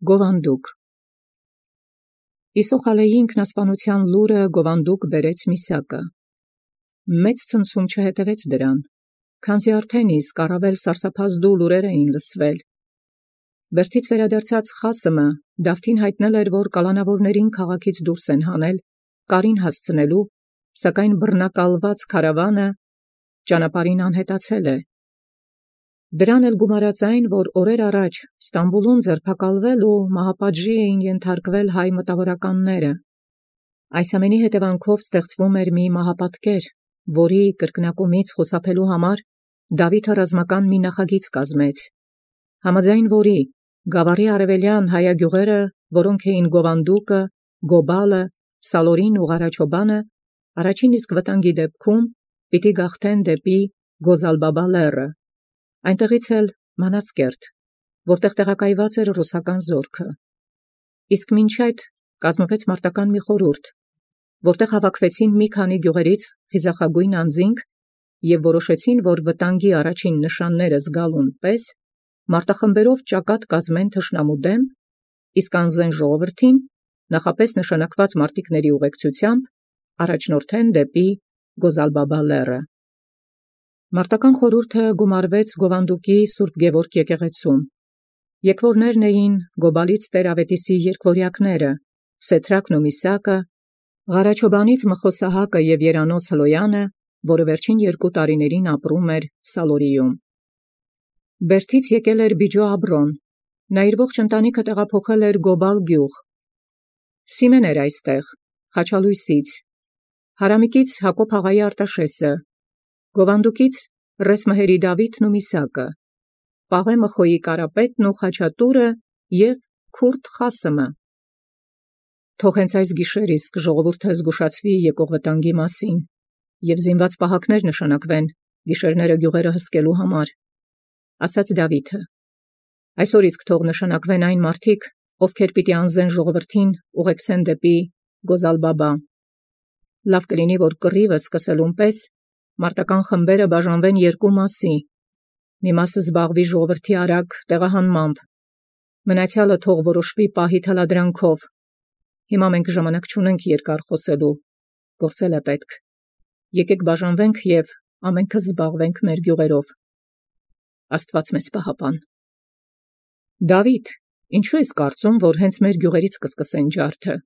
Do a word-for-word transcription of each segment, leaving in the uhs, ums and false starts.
Գովանդուկ Իսոխալեի ինքնասպանութեան լուրը Գովանդուկ բերեց Միսակը։ Մեծ ցնցում չհետևեց դրան, քանզի արդեն իսկ առավել սարսափազդու լուրեր էին լսվել։ Բերդից վերադարձած Խասմը Դավթին հայտնել էր, որ կալանավորներին քաղաքից դուրս են հանել, կարին հասցնելու, սակայն բռնակալված քարավանը ճանապարհին անհետացել է։ Դրան էլ գումարած այն, որ օրեր առաջ Ստամբուլում ձերբակալվել ու մահապատժի էին ենթարկվել հայ մտավորականները։ Այս ամենի հետևանքով ստեղծվում էր մի մահապատկեր, որի կրկնակումից խուսափելու համար Դավիթը ռազմական մի նախագիծ կազմեց, համաձայն որի գավառի արևելյան հայագյուղերը, որոնք էին Գովանդուկը, Գոբալը, Սալորին ու Ղարաչոբանը, առաջին իսկ վտանգի դեպքում պիտի գաղթեն դեպի Գոզալբաբա լեռը, այնտեղից էլ Մանասկերտ, որտեղ տեղակայված էր ռուսական զորքը։ Իսկ մինչ այդ կազմվեց մարտական մի խորհուրդ, որտեղ հավաքվեցին մի քանի գյուղերից խիզախագույն անձինք և որոշեցին, որ վտանգի առաջին նշանները զգալուն պես մարտախմբերով ճակատ կազմեն թշնամու դեմ, իսկ անզեն ժողովրդին նախապես նշանակված մարտիկների ուղեկցությամբ առաջնորդեն դեպի Գոզալբաբա լեռը։ Մարտական խորհուրդը գումարվեց Գովանդուկի Սուրբ Գևորգ եկեղեցում։ Եկվորներն էին Գոբալից Տեր-Ավետիսի երկվորյակները, Սեթրակն ու Միսակը, Ղարաչոբանից Մխոսահակը և Երանոս Հլոյանը, որը վերջին երկու տարիներին ապրում էր Սալորիում։ Բերդից եկել էր Բիջո Աբրոն, նա իր ողջ ընտանիքը տեղափոխել էր Գոբալ գյուղ։ Սիմեն էր այստեղ, Խաչալույսից, Հարամիկից Հակոբ աղայի Արտաշեսը, Գովանդուկից Ռեսմհերի Դավիթն ու Միսակը, Պաղե Մխոյի Կարապետն ու Խաչատուրը և Քուրդ Խասմը։ Թող հենց այս գիշեր իսկ ժողովուրդը զգուշացվի եկող վտանգի մասին և զինված պահակներ նշանակվեն գիշերները գյուղերը հսկելու համար, ասաց Դավիթը։ Այսօր իսկ թող նշանակվեն այն մարդիկ, ովքեր պիտի անզեն ժողովրդին ուղեկցեն դեպի Գոզալբաբա։ Լավ կլինի, որ կռիվը սկսելուն պես մարտական խմբերը բաժանվեն երկու մասի, մի մասը զբաղվի ժողովրդի արագ տեղահանմամբ, մնացյալը թող որոշվի պահի թելադրանքով։ Հիմա մենք ժամանակ չունենք երկար խոսելու, գործել է պետք։ Եկեք բաժանվենք և ամենքս զբաղվենք մեր գյուղերով։ Աստված մեզ պահապան։ Դավիթ, ինչու ես կարծում, որ հենց մեր գյուղերից կսկսեն ջարդը,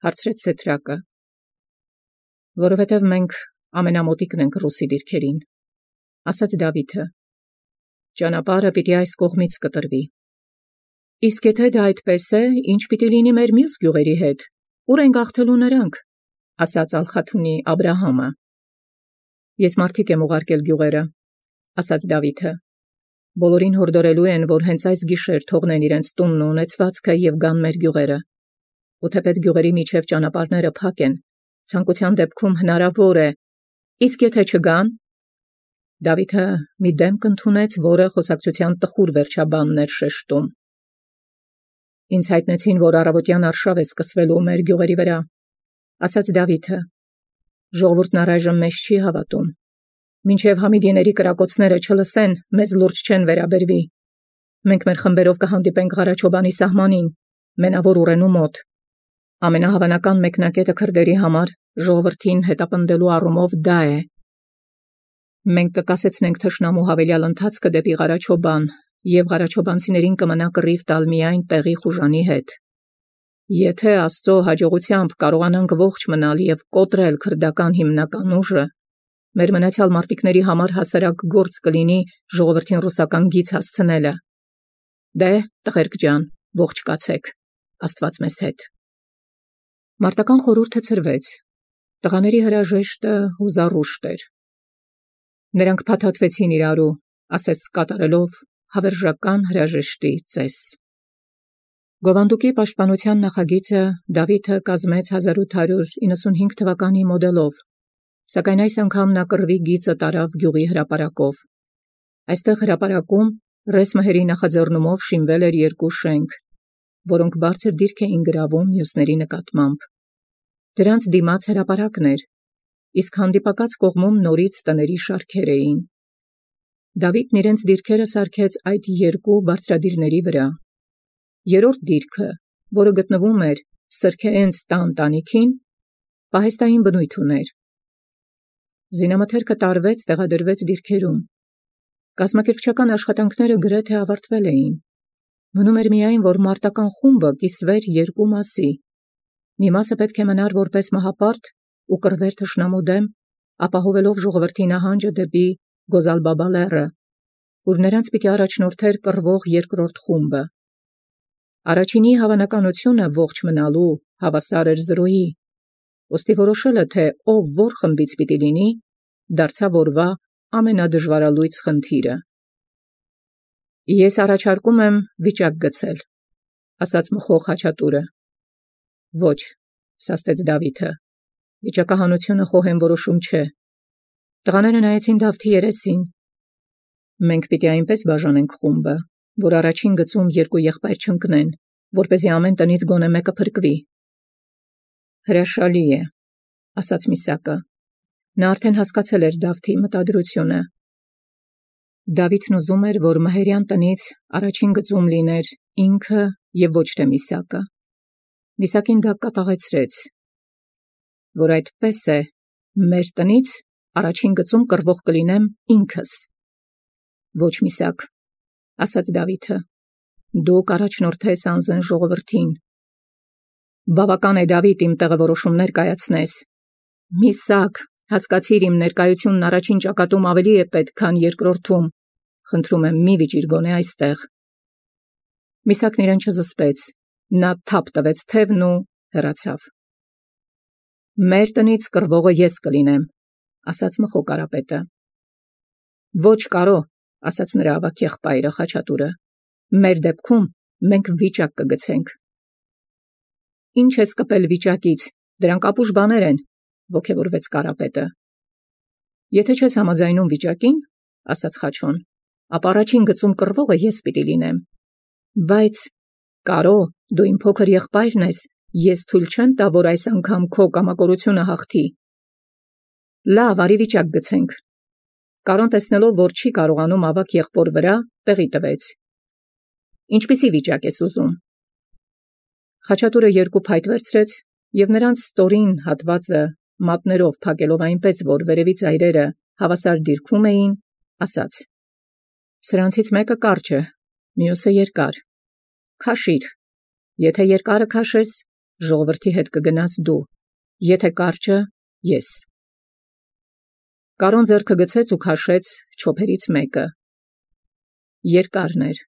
հարցրեց Սեթրակը։ Որովհետև մենք ամենամոտիկն ենք ռուսի դիրքերին, ասաց Դավիթը։ Ճանապարհը պիտի այս կողմից կտրվի։ Իսկ եթե դա այդպես է, ինչ պիտի լինի մեր մյուս գյուղերի հետ, ուր են գաղթելու նրանք, ասաց Ալխաթունի Աբրահամը։ Ես մարդիկ եմ ուղարկել գյուղերը, ասաց Դավիթը։ Բոլորին հորդորելու են, որ հենց այս գիշեր թողնեն իրենց տունն ու ունեցվածքը և գան մեր գյուղերը։ Ու թեպետ գյուղերի միջև ճանապարհները փակ են, ցանկության դեպքում հնարավոր է, իսկ եթե չգան։ Դավիթը մի դեմք ընդունեց, որը խոսակցության տխուր վերջաբանն էր շեշտում։ Ինձ հայտնեցին, որ առավոտյան արշավ է սկսվելու մեր գյուղերի վրա, ասաց Դավիթը։ Ժողովուրդն առայժմ մեզ չի հավատում։ Մինչև Համիդիների կրակոցները չլսեն, մեզ լուրջ չեն վերաբերվի։ Մենք մեր խմբերով կհանդիպենք Ղարաչոբանի սահմանին, Մենավոր Ուրենու մոտ։ Ամենահավանական մեկնակետը քրդերի համար ժողովրդին հետապնդելու առումով դա է։ Մենք կկասեցնենք թշնամու հավելյալ ընթացքը դեպի Ղարաչոբան, և Ղարաչոբանցիներին կմնա կռիվ տալ միայն տեղի խուժանի հետ։ Եթե Աստծո հաջողությամբ կարողանանք ողջ մնալ և կոտրել քրդական հիմնական ուժը, մեր մնացյալ մարտիկների համար հասարակ գործ կլինի ժողովրդին ռուսական գիծ հասցնելը։ Դե, տղերք ջան, ողջ կացեք, Աստված մեզ հետ։ Մարտական խորհուրդը ցրվեց։ Տղաների հրաժեշտը հուզառուշտ էր։ Նրանք փաթաթվեցին իրարու, ասես կատարելով հավերժական հրաժեշտի ծես։ Գովանդուկի պաշտպանության նախագիծը Դավիթը կազմեց հազար ութ հարյուր իննսունհինգ թվականի մոդելով, սակայն այս անգամ նա կռվի գիծը տարավ գյուղի հրապարակով։ Այստեղ հրապարակում Ռեսմհերի նախաձեռնումով շինվել էր երկու շենք, որոնք բարձր դիրք էին գրավում մյուսների նկատմամբ։ Դրանց դիմաց հրապարակն էր, իսկ հանդիպակաց կողմում նորից տների շարքեր էին։ Դավիթն իրենց դիրքերը սարքեց այդ երկու բարձրադիրների վրա։ երրորդ դիրքը, որը գտնվում էր Սրքեենց տան տանիքին, պահեստային բնույթ ուներ։ Զինամթերքը տարվեց, տեղադրվեց դիրքերում։ Կազմակերպչական աշխատանքները գրեթե ավարտվել էին։ Մնում էր միայն, որ մարտական խումբը կիսվեր երկու մասի։ Մի մասը պետք է մնար որպես մահապարտ ու կռվեր թշնամու դեմ, ապահովելով ժողովրդի նահանջը դեպի Գոզալբաբա լեռը, ուր նրանց պիտի առաջնորդեր կռվող երկրորդ խումբը։ Առաջինի հավանականությունը ողջ մնալու հավասար էր զրոյի, ուստի որոշելը, թե ով որ խմբից պիտի լինի, դարձավ օրվա ամենադժվարալույծ խնդիրը։ Ես առաջարկում եմ վիճակ գցել, ասաց մխող Խաչատուրը։ Ոչ, սաստեց Դավիթը, վիճակահանությունը խոհեմ որոշում չէ։ Տղաները նայեցին Դավթի երեսին։ Մենք պիտի այնպես բաժանենք խումբը, որ առաջին գծում երկու եղբայր չընկնեն, որպեսզի ամեն տնից գոնե մեկը փրկվի։ Հրաշալի է, ասաց Միսակը։ Նա արդեն հասկացել էր Դավթի մտադրությունը։ Դավիթն ուզում էր, որ Մհերյան տնից առաջին գծում լիներ ինքը և ոչ թե Միսակը։ Միսակին դա կատաղեցրեց, որ այդպես է, մեր տնից առաջին գծում կռվող կլինեմ ինքս։ Ոչ Միսակ, ասաց Դավիթը, դուք առաջնորդես անզեն ժողովրդին։ Բավական է, Դավիթ, իմ տեղը որոշումներ կայացնես։ Միսակ, հասկացիր, իմ ներկայությունն առաջին ճակատում ավելի է պետք, քան երկրորդում։ Խնդրում եմ, մի վիճիր գոնե այստեղ։ Միսակն իրեն չզսպեց, նա թափ տվեց թևն ու հեռացավ։ Մեր տնից կռվողը ես կլինեմ, ասաց մխո Կարապետը։ Ոչ կարո, ասաց նրա ավագ եղբայրը Խաչատուրը։ Մեր դեպքում մենք վիճակ կգցենք։ Ինչ ես կպել վիճակից, դրանք ապուշ բաներ են, ոգևորվեց Կարապետը։ Եթե չես համաձայնում վիճակին, ասաց Խաչոն, ապա առաջին գծում կռվողը ես պիտի լինեմ։ Բայց կարո, դու իմ փոքր եղբայրն ես, ես թույլ չեմ տա, որ այս անգամ քո կամակորությունը հաղթի։ Լավ, արի վիճակ գցենք։ Կարոն տեսնելով, որ չի կարողանում ավագ եղբոր վրա, տեղի տվեց։ Ինչպիսի վիճակ ես ուզում։ Խաչատուրը երկու փայտ վերցրեց և նրանց ստորին հատվածը մատներով փակելով այնպես, որ վերևից այրերը հավասար դիրքում էին, ասաց. Սրանցից մեկը կարճ է, մյուսը երկար։ Քաշիր։ Եթե երկարը քաշես, ժողովրդի հետ կգնաս դու, եթե կարճը՝ ես։ Կարոն ձեռքը գցեց ու քաշեց չոփերից մեկը։ Երկարն էր։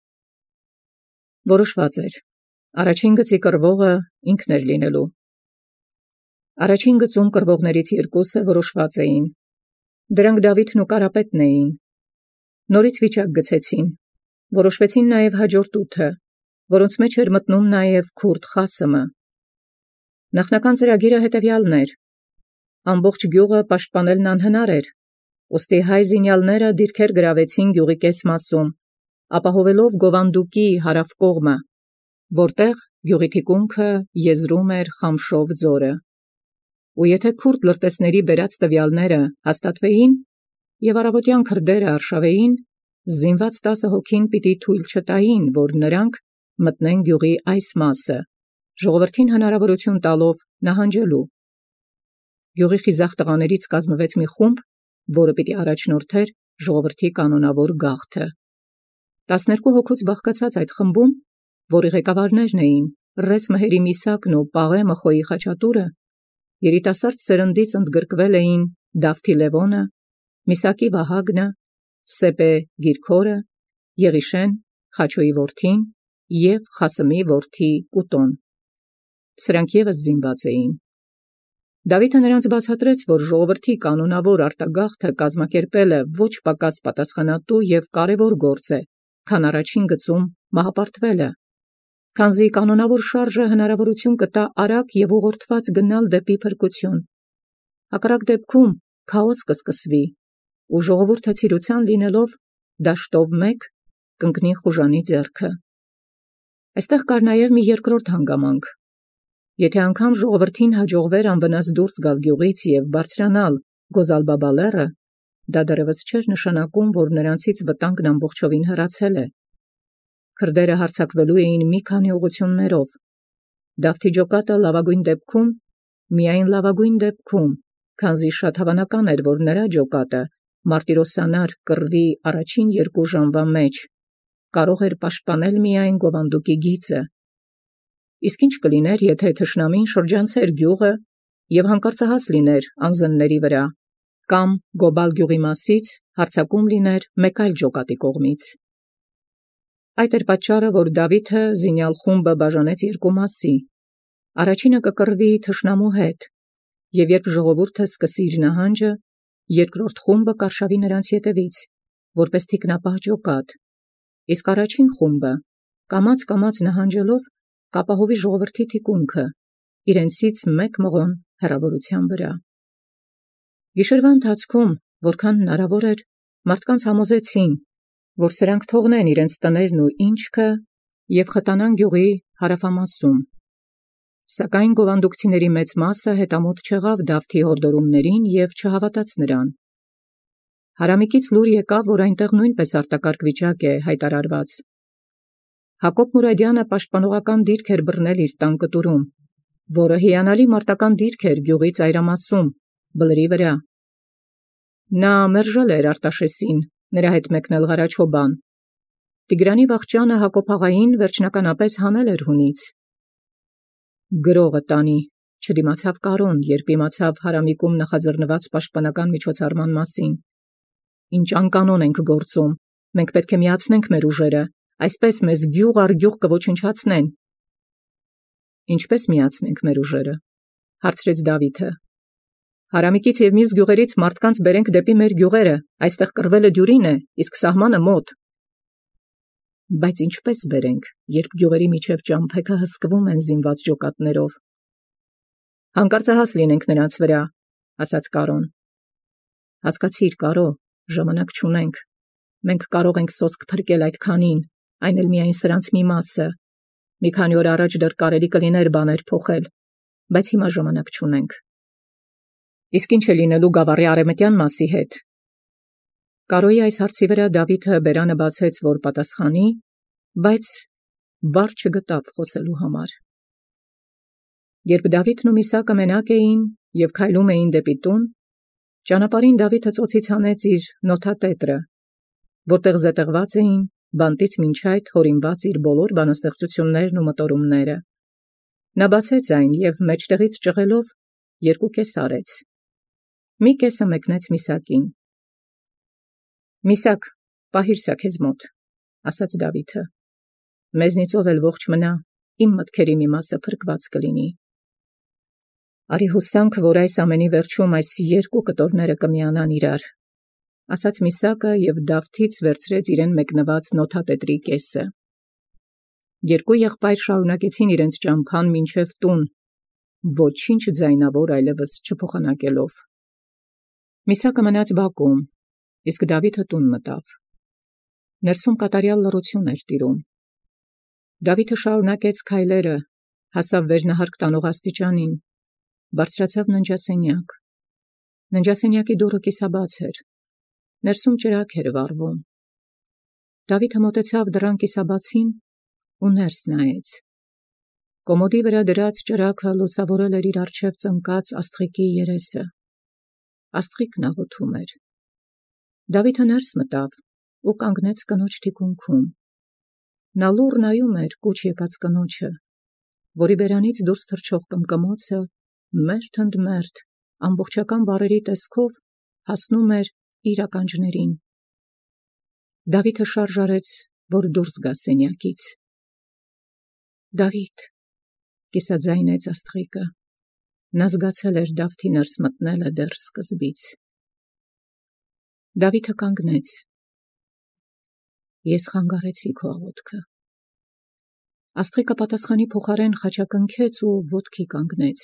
Որոշված էր։ Առաջին գծի կռվողը ինքն էր լինելու։ Առաջին գծում կռվողներից երկուսը որոշված էին։ Դրանք Դավիթն ու Կարապետն էին։ Նորից վիճակ գցեցին։ Որոշվեցին նաև հաջորդ ութը, որոնց մեջ էր մտնում նաև քուրդ Խասմը։ Նախնական ծրագիրը հետևյալն էր. ամբողջ գյուղը պաշտպանելն անհնար էր, ուստի հայ զինյալները դիրքեր գրավեցին գյուղի կես մասում, ապահովելով Գովանդուկի հարավ կողմը, որտեղ գյուղի թիկունքը եզրում էր Խամշով ձորը։ Ու եթե քուրդ լրտեսների բերած տվյալները հաստատվեին և առավոտյան քրդերը արշավեին, զինված տասը հոգին պիտի թույլ չտային, որ նրանք մտնեն գյուղի այս մասը, ժողովրդին հնարավորություն տալով նահանջելու։ Գյուղի խիզախ տղաներից կազմվեց մի խումբ, որը պիտի առաջնորդեր ժողովրդի կանոնավոր գաղթը։ Տասներկու հոգուց բաղկացած այդ խմբում, որի ղեկավարներն էին Ռես Մհերի Միսակն ու Պաղե Մխոյի Խաչատուրը, երիտասարդ սերնդից ընդգրկվել էին Դավթի Լևոնը, Միսակի Վահագնը, Սեպե Գիրքորը, Եղիշեն, Խաչոյի որդին և Խասմի որդի Կուտոն։ Սրանք ևս զինված էին։ Դավիթը նրանց բացատրեց, որ ժողովրդի կանոնավոր արտագաղթը կազմակերպելը ոչ պակաս պատասխանատու և կարևոր գործ է, քան առաջին գծում մահապարտվելը, քանզի կանոնավոր շարժը հնարավորություն կտա արագ և ուղղորդված գնալ դեպի փրկություն։ Հակառակ դեպքում քաոս կսկսվի, ու ժողովուրդը ցիրության լինելով դաշտով մեկ կընկնի խուժանի ձեռքը։ Այստեղ կար նաև մի երկրորդ հանգամանք։ Եթե անգամ ժողովրդին հաջողվեր անվնաս դուրս գալ գյուղից և բարձրանալ Գոզալբաբա լեռը, դա դեռևս չէր նշանակում, որ նրանցից վտանգն ամբողջովին հեռացել է։ Քրդերը հարձակվելու էին մի քանի ուղղություններով։ Դավթի ջոկատը լավագույն դեպքում, միայն լավագույն դեպքում, քանզի շատ հավանական էր, որ նրա ջոկատը մարտիրոսանար կռվի առաջին երկու ժամվա մեջ կարող էր պաշտպանել միայն Գովանդուկի գիծը։ Իսկ ինչ կլիներ, եթե թշնամին շրջանցեր գյուղը և հանկարծահաս լիներ անզնների վրա, կամ Գոբալ գյուղի մասից հարձակում լիներ մեկ այլ ջոկատի կողմից։ Այդ էր պատճառը, որ Դավիթը զինյալ խումբը բաժանեց երկու մասի։ Առաջինը կկռվի թշնամու հետ, և երբ ժողովուրդը սկսի իր նահանջը, երկրորդ խումբը կարշավի նրանց ետևից, որպես թիկնապահ ջոկատ, իսկ առաջին խումբը կամաց-կամաց նահանջելով կապահովի ժողովրդի թիկունքը, իրենցից մեկ մղոն հեռավորության վրա։ Գիշերվա ընթացքում, որքան հնարավոր էր, մարդկանց համոզեցին, որ սրանք թողնեն իրենց տներն ու ինչքը և խտանան գյուղի հարավամասում։ Սակայն գովանդուկցիների մեծ մասը հետամուտ չեղավ Դավթի հորդորումներին և չհավատաց նրան։ Հարամիկից լուր եկավ, որ այնտեղ նույնպես արտակարգ վիճակ է հայտարարված։ Հակոբ Մուրադյանը պաշտպանողական դիրք էր բռնել իր տան կտուրում, որը հիանալի մարտական դիրք էր գյուղի ծայրամասում, բլրի վրա։ Նա մերժել էր Արտաշեսին, նրա հետ մեկնել Ղարաչոբան։ Տիգրանի վախճանը Հակոբ աղային վերջնականապես հանել էր հունից։ Գրողը տանի, չդիմացավ Կարոն, երբ իմացավ Հարամիկում նախաձեռնված պաշտպանական միջոցառման մասին։ Ինչ անկանոն ենք գործում, մենք պետք է միացնենք մեր ուժերը, այսպես մեզ գյուղ առ գյուղ կոչնչացնեն։ Ինչպես միացնենք մեր ուժերը, հարցրեց Դավիթը։ Հարամիկից և մյուս գյուղերից մարդկանց բերենք դեպի մեր գյուղերը, այստեղ կռվելը դյուրին է, իսկ սահմանը մոտ։ Բայց ինչպես բերենք, երբ գյուղերի միջև ճամփեքը հսկվում են զինված ջոկատներով։ Հանկարծահաս լինենք նրանց վրա, ասաց Կարոն։ Հասկացիր, Կարո, ժամանակ չունենք։ Մենք կարող ենք սոսկ փրկել այդ քանին, այն էլ միայն սրանց մի մասը։ Մի քանի օր առաջ դեռ կարելի կլիներ բաներ փոխել, բայց հիմա ժամանակ չունենք։ Իսկ ինչ է լինելու գավառի արևմտյան մասի հետ։ Կարոյի այս հարցի վրա Դավիթը բերանը բացեց, որ պատասխանի, բայց բառ չգտավ խոսելու համար։ Երբ Դավիթն ու Միսակը մենակ էին և քայլում էին դեպի տուն, ճանապարհին Դավիթը ծոցից հանեց իր նոթատետրը, որտեղ զետեղված էին բանտից մինչ այդ հորինված իր բոլոր բանաստեղծություններն ու մտորումները։ Նա բացեց այն և մեջտեղից ճղելով երկու կես արեց։ Մի կեսը մեկնեց Միսակին։ Միսակ, պահիր սա քեզ մոտ, ասաց Դավիթը։ Մեզնից ով էլ ողջ մնա, իմ մտքերի մի մասը փրկված կլինի։ Արի հուսանք, որ այս ամենի վերջում այս երկու կտորները կմիանան իրար, ասաց Միսակը և Դավթից վերցրեց իրեն մեկնված նոթատետրի կեսը։ Երկու եղբայր շարունակեցին իրենց ճամփան մինչև տուն, ոչինչ ձայնավոր այլևս չփոխանակելով։ Միսակը մնաց բակում, իսկ Դավիթը տուն մտավ։ Ներսում կատարյալ լռություն էր տիրում։ Դավիթը շարունակեց քայլերը, հասավ վերնահարկ տանող աստիճանին, բարձրացավ ննջասենյակ։ Ննջասենյակի դուռը կիսաբաց էր։ Ներսում ճրագ էր վառվում։ Դավիթը մոտեցավ դռան կիսաբացին ու ներս նայեց։ Կոմոդի վրա դրած ճրագը լուսավորել էր իր առջև ծնկած աստղիկի երեսը։ Աստղիկն աղոթում էր։ Դավիթը ներս մտավ ու կանգնեց կնոջ թիկունքում։ Նա լուռ նայում էր կուչ եկած կնոջը, որի բերանից դուրս թռչող կմկմոցը մերթ ընդ մերթ ամբողջական բառերի տեսքով հասնում էր իր ականջներին։ Դավիթը շարժ արեց, որ դուրս գա սենյակից։ Դավիթ, կիսաձայնեց աստղիկը։ Նա զգացել էր Դավթի ներս մտնելը դեռ սկզբից։ Դավիթը կանգնեց։ Ես խանգարեցի քո աղոթքը։ Աստղիկը պատասխանի փոխարեն խաչակնքեց ու ոտքի կանգնեց։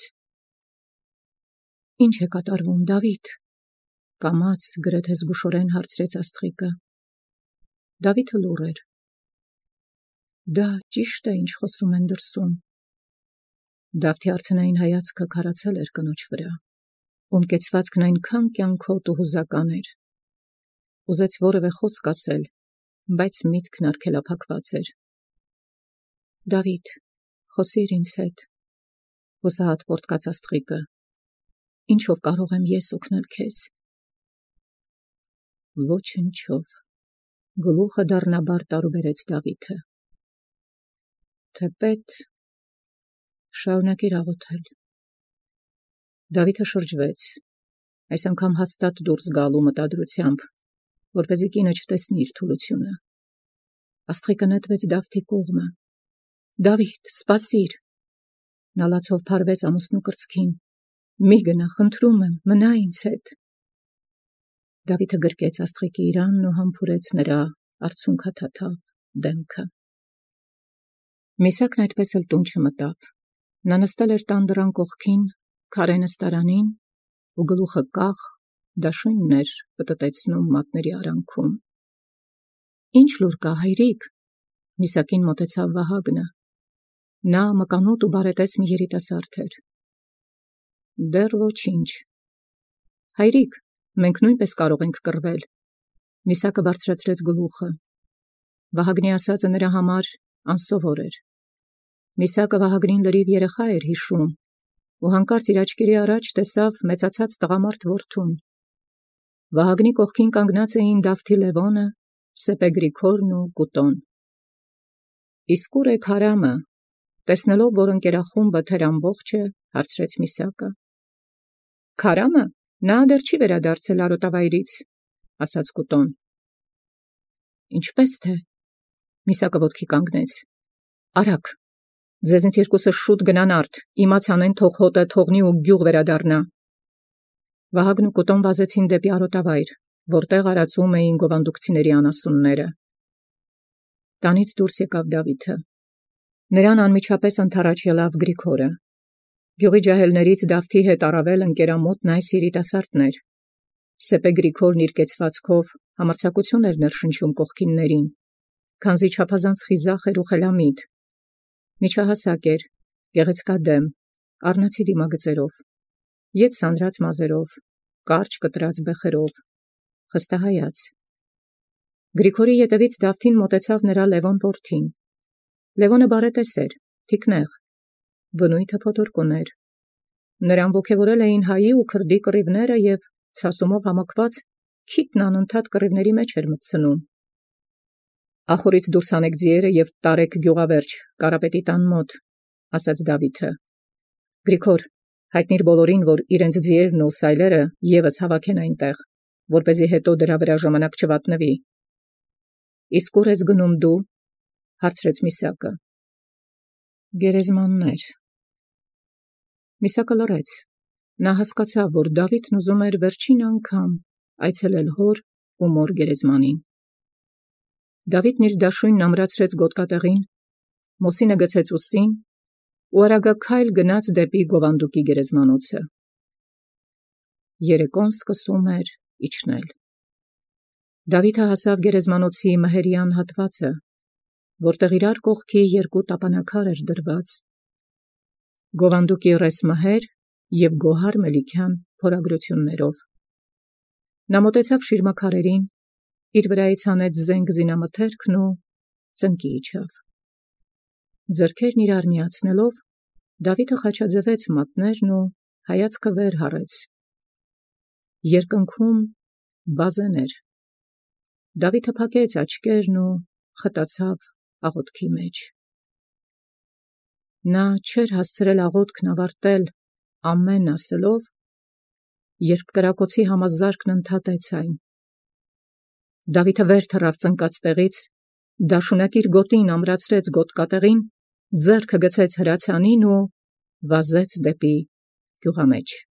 Ինչ է կատարվում, Դավիթ, կամաց գրեթե զգուշորեն հարցրեց աստղիկը։ Դավիթը լուռ էր։ Դա ճիշտ է, ինչ խոսում են դրսում։ Դավթի արցնային հայացքը քարացել էր կնոջ վրա, ում կեցվածքն այնքան կյանքոտ ու հուզական էր։ Ուզեց որևէ խոսք ասել, բայց միտքն արգելափակված էր։ Դավիթ, խոսիր ինձ հետ, հուսահատ պոռթկաց աստղիկը, ինչով կարող եմ ես օգնել քեզ։ Ոչնչով, գլուխը դառնաբար տարուբերեց Դավիթը։ Թեպետ, շարունակիր աղոթել։ Դավիթը շրջվեց, այս անգամ հաստատ դուրս գալու մտադրությամբ, որպեսզի կինը չտեսնի իր թուլությունը։ Աստղիկը նետվեց Դավթի կողմը։ Դավիթ, սպասիր։ Նա լացով փարվեց ամուսնու կրծքին։ Մի գնա, խնդրում եմ, մնա ինձ հետ։ Դավիթը գրկեց աստղիկի իրանն ու համբուրեց նրա արցունքաթաթավ դեմքը։ Միսակն այդպես էլ տուն չմտավ։ Նա նստել էր տան դռան կողքին, քարե նստարանին, ու գլուխը կախ, դաշույնն էր պտտեցնում մատների արանքում։ Ինչ լուր կա, հայրիկ։ Միսակին մոտեցավ Վահագնը։ Նա մկանոտ ու բարետես մի երիտասարդ էր։ Դեռ ոչինչ։ Հայրիկ, մենք նույնպես կարող ենք կռվել։ Միսակը բարձրացրեց գլուխը։ Վահագնի ասածը նրա համար անսովոր էր։ Միսակը Վահագնին լրիվ երեխա էր հիշում, ու հանկարծ իր աչքերի առաջ տեսավ մեծացած տղամարդ որդուն։ Վահագնի կողքին կանգնած էին Դավթի Լևոնը, Սեպե Գրիգորն ու Կուտոն։ Իսկ ուր է Քարամը, տեսնելով, որ ընկերախումբը թեր ամբողջ է, հարցրեց Միսակը։ Քարամը, նա դեռ չի վերադարձել արոտավայրից, ասաց Կուտոն։ Ինչպես թե։ Միսակը ոտքի կանգնեց։ Արագ, ձեզնից երկուսը շուտ գնան արդ, իմացան են թող հոտը թողնի ու գյուղ վերադառնա։ Վահագն ու Կուտոն վազեցին դեպի արոտավայր, որտեղ արածում էին գովանդուկցիների անասունները։ Տանից դուրս եկավ Դավիթը։ Նրան անմիջապես ընդառաջ ելավ Գրիգորը։ Գյուղի ջահելներից Դավթի հետ առավել ընկերամոտն այս երիտասարդն էր։ Սեպե Գրիգորն իր կեցվածքով համարձակություն էր ներշնչում կողքիններին, քանզի չափազանց խիզախ էր ու խելամիտ։ Միջահասակ էր, գեղեցկադեմ, առնացի դիմագծերով, ետ սանրած մազերով, կարճ կտրած բեխերով, խստահայաց։ Գրիգորի ետևից Դավթին մոտեցավ նրա Լևոն որդին։ Լևոնը բարետես էր, թիկնեղ, բնույթը փոթորկ ուներ։ Նրան ոգևորել էին հայի ու քրդի կռիվները և ցասումով համակված քիթն անընդհատ կռիվների մեջ էր մտցնում։ Ախորից դուրս հանեք ձիերը և տարեք գյուղավերջ, Կարապետի տան մոտ, ասաց Դավիթը։ Գրիգոր, հայտնիր բոլորին, որ իրենց ձիերն ու սայլերը ևս հավաքեն այնտեղ, որպեսզի հետո դրա վրա ժամանակ չվատնվի։ Իսկ ուր ես գնում դու, հարցրեց Միսակը։ Գերեզմաններ։ Միսակը լռեց։ Նա հասկացավ, որ Դավիթն ուզում էր վերջին անգամ այցելել հոր ու մոր գերեզմանին։ Դավիթն իր դաշույնն ամրացրեց գոտկատեղին, մոսինը գցեց ուսին ու արագաքայլ գնաց դեպի գովանդուկի գերեզմանոցը։ Երեկոն սկսում էր իջնել։ Դավիթը հասավ գերեզմանոցի մհերյան հատվածը, որտեղ իրար կողքի երկու տապանակար էր դրված։ Գովանդուկի ռես մհեր և գոհար Մելիքյան փորագրություններով։ Նա մոտեցավ շիրմաքարերին, իր վրայից հանեց զենք զինամթերքն ու ծնկի իջավ։ Ձեռքերն իրար միացնելով, Դավիթը խաչաձևեց մատներն ու հայացքը վեր հառեց։ Երկնքում բազեն էր։ Դավիթը փակեց աչքերն ու խտացավ աղոթքի մեջ։ Նա չէր հասցրել աղոթքն ավարտել ամեն ասելով, երբ կրակոցի համազարկն ընդհատեց այն։ Դավիթը վեր թռավ ծնկած տեղից, դաշունակ իր գոտին ամրացրեց գոտկատեղին, ձեռքը գցեց հրացանին ու վազեց դեպի գյուղամեջ։